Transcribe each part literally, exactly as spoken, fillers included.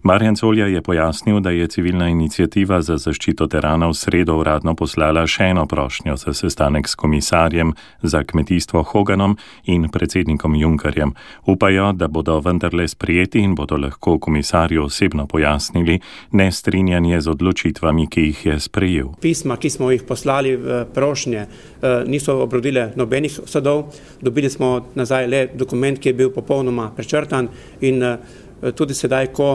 Marjan Colja je pojasnil, da je civilna iniciativa za zaščito terana v sredo uradno poslala še eno prošnjo za sestanek s komisarjem za kmetijstvo Hoganom in predsednikom Junckerjem. Upajo, da bodo vendarle sprejeti in bodo lahko komisarju osebno pojasnili nestrinjanje z odločitvami, ki jih je sprejel. Pisma, ki smo jih poslali v prošnje, niso obrodile nobenih sadov. Dobili smo nazaj le dokument, ki je bil popolnoma prečrtan in tudi sedaj, ko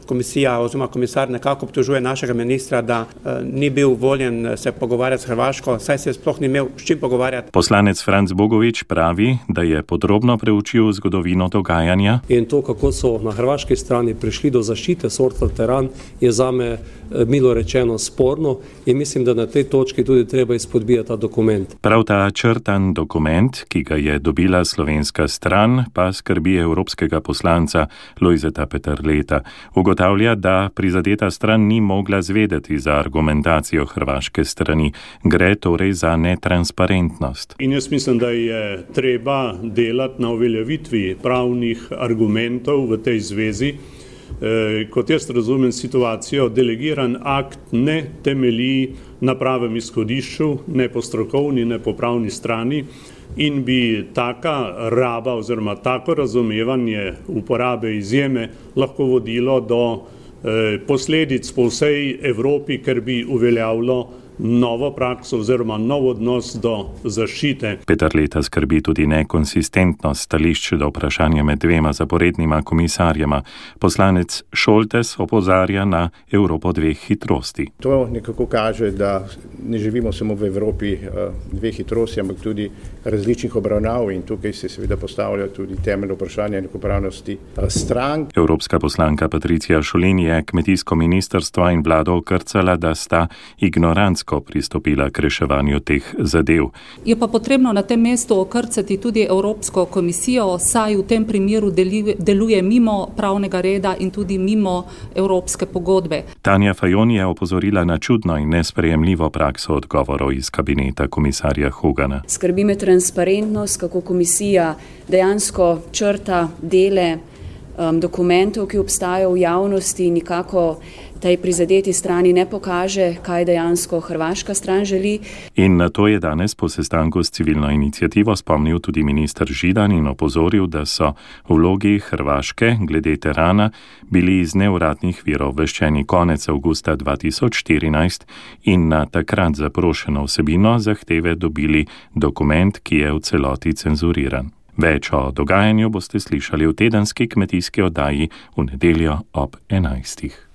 komisija oziroma komisar nekako obtožuje našega ministra, da ni bil voljen se pogovarjati s Hrvaško, saj se sploh ni imel s čim pogovarjati. Poslanec Franc Bogovič pravi, da je podrobno preučil zgodovino dogajanja. In to, kako so na hrvaški strani prišli do zaščite sorta teran, je zame milo rečeno sporno in mislim, da na tej točki tudi treba izpodbijati ta dokument. Prav ta črtan dokument, ki ga je dobila slovenska stran, pa skrbi evropskega poslanca Lojzeta Peterleta. Ugotavlja, da prizadeta stran ni mogla zvedeti za argumentacijo hrvaške strani. Gre torej za netransparentnost. In jaz mislim, da je treba delati na uveljavitvi pravnih argumentov v tej zvezi. E, kot jaz razumem situacijo, delegiran akt ne temelji na pravem izhodišču, ne po strokovni, ne po pravni strani. In bi taka raba oziroma tako razumevanje uporabe izjeme lahko vodilo do eh, posledic po vsej Evropi, ker bi uveljavilo novo prakso oziroma nov odnos do zaščite. Peterleta skrbi tudi nekonsistentnost stališč do vprašanja med dvema zaporednima komisarjema. Poslanec Šoltes opozarja na Evropo dveh hitrosti. To nekako kaže, da ne živimo samo v Evropi dveh hitrosti, ampak tudi različnih obravnav in tukaj se seveda postavlja tudi temeljno vprašanje enakopravnosti strank. Evropska poslanka Patricija Šulin je kmetijsko ministrstvo in vlado okrcala, da sta ignorantsko pristopila k reševanju teh zadev. Je pa potrebno na tem mestu okrcati tudi Evropsko komisijo, saj v tem primeru deluje mimo pravnega reda in tudi mimo evropske pogodbe. Tanja Fajon je opozorila na čudno in nesprejemljivo prakso odgovorov iz kabineta komisarja Hogana. Skrbi me transparentnost, kako komisija dejansko črta dele um, dokumentov, ki obstajajo v javnosti, nikako tej prizadeti strani ne pokaže, kaj dejansko hrvaška stran želi. In na to je danes po sestanku s civilno iniciativo spomnil tudi minister Židan in opozoril, da so v vlogi Hrvaške glede terana bili iz neuradnih virov obveščeni konec avgusta dva tisoč štirinajst in na takrat zaprošeno vsebino zahteve dobili dokument, ki je v celoti cenzuriran. Več o dogajanju boste slišali v tedenski kmetijski oddaji v nedeljo ob enajstih.